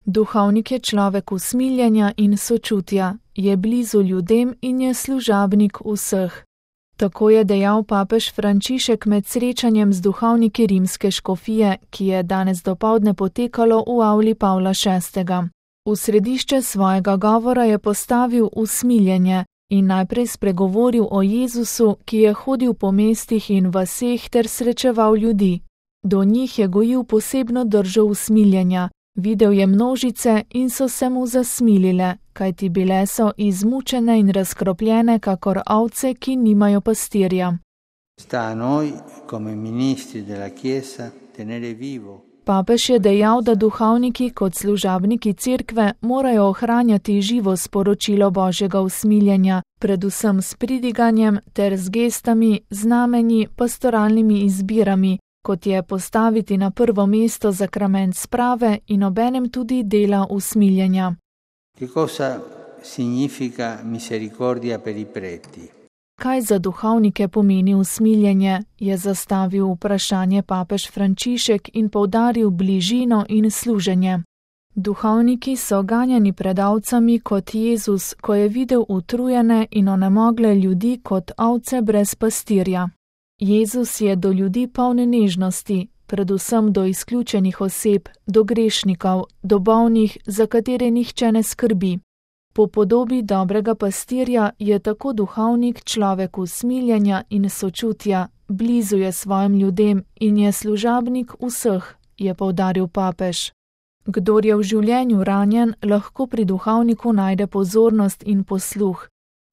Duhovnik je človek usmiljenja in sočutja, je blizu ljudem in je služabnik vseh. Tako je dejal papež Frančišek med srečanjem z duhovniki rimske škofije, ki je danes dopoldne potekalo v avli Pavla VI. V središče svojega govora je postavil usmiljenje in najprej spregovoril o Jezusu, ki je hodil po mestih in vaseh ter srečeval ljudi. Do njih je gojil posebno držo usmiljenja, videl je množice in so se mu zasmilile, kajti bile so izmučene in razkropljene kakor ovce, ki nimajo pastirja. Papež je dejal, da duhovniki kot služabniki cerkve morajo ohranjati živo sporočilo Božjega usmiljenja, predvsem s pridiganjem ter z gestami, znamenji, pastoralnimi izbirami, kot je postaviti na prvo mesto zakrament sprave in obenem tudi dela usmiljenja. Kaj za duhovnike pomeni usmiljenje, je zastavil vprašanje papež Frančišek in poudaril bližino in služenje. Duhovniki so ganjani pred ovcami kot Jezus, ko je videl utrujene in onemogle ljudi kot ovce brez pastirja. Jezus je do ljudi poln nežnosti, predvsem do izključenih oseb, do grešnikov, do bolnih, za katere nihče ne skrbi. Po podobi dobrega pastirja je tako duhovnik človek usmiljenja in sočutja, blizu je svojim ljudem in je služabnik vseh, je poudaril papež. Kdor je v življenju ranjen, lahko pri duhovniku najde pozornost in posluh.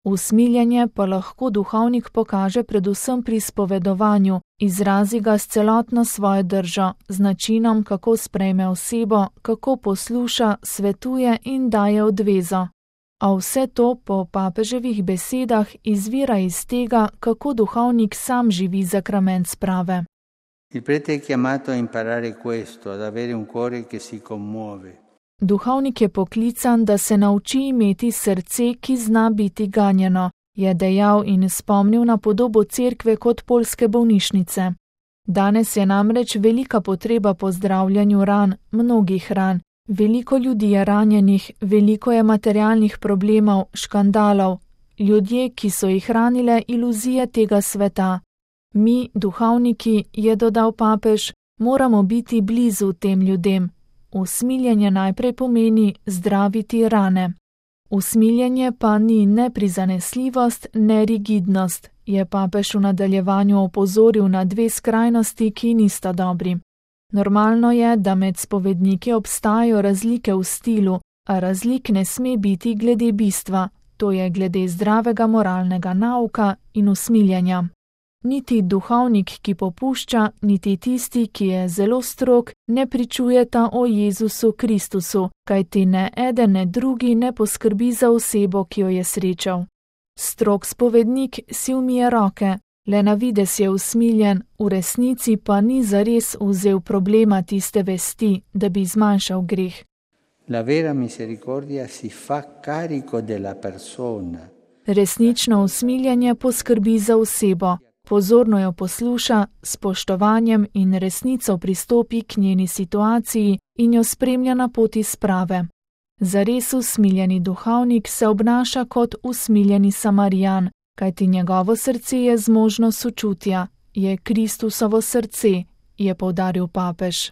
Usmiljenje pa lahko duhovnik pokaže predvsem pri spovedovanju, izrazi ga s celotno svojo držo, z načinom, kako sprejme osebo, kako posluša, svetuje in daje odvezo. A vse to po papeževih besedah izvira iz tega, kako duhovnik sam živi zakrament sprave. Duhovnik je poklican, da se nauči imeti srce, ki zna biti ganjeno, je dejal in spomnil na podobo cerkve kot poljske bolnišnice. Danes je namreč velika potreba po zdravljenju ran, mnogih ran. Veliko ljudi je ranjenih, veliko je materialnih problemov, škandalov, ljudje, ki so jih ranile iluzije tega sveta. Mi, duhovniki, je dodal papež, moramo biti blizu tem ljudem. Usmiljenje najprej pomeni zdraviti rane. Usmiljenje pa ni ne prizanesljivost, ne rigidnost, je papež v nadaljevanju opozoril na dve skrajnosti, ki nista dobri. Normalno je, da med spovedniki obstajajo razlike v stilu, a razlik ne sme biti glede bistva, to je glede zdravega moralnega nauka in usmiljenja. Niti duhovnik, ki popušča, niti tisti, ki je zelo strog, ne pričujeta o Jezusu Kristusu, kajti ne eden ne drugi ne poskrbi za osebo, ki jo je srečal. Strog spovednik si umije roke, le na videz je usmiljen, v resnici pa ni zares vzel problema tiste vesti, da bi zmanjšal greh. Resnično usmiljenje poskrbi za osebo, pozorno jo posluša, s spoštovanjem in resnico pristopi k njeni situaciji in jo spremlja na poti sprave. Zares usmiljeni duhovnik se obnaša kot usmiljeni Samarijan, kajti njegovo srce je zmožno sočutja, je Kristusovo srce, je poudaril papež.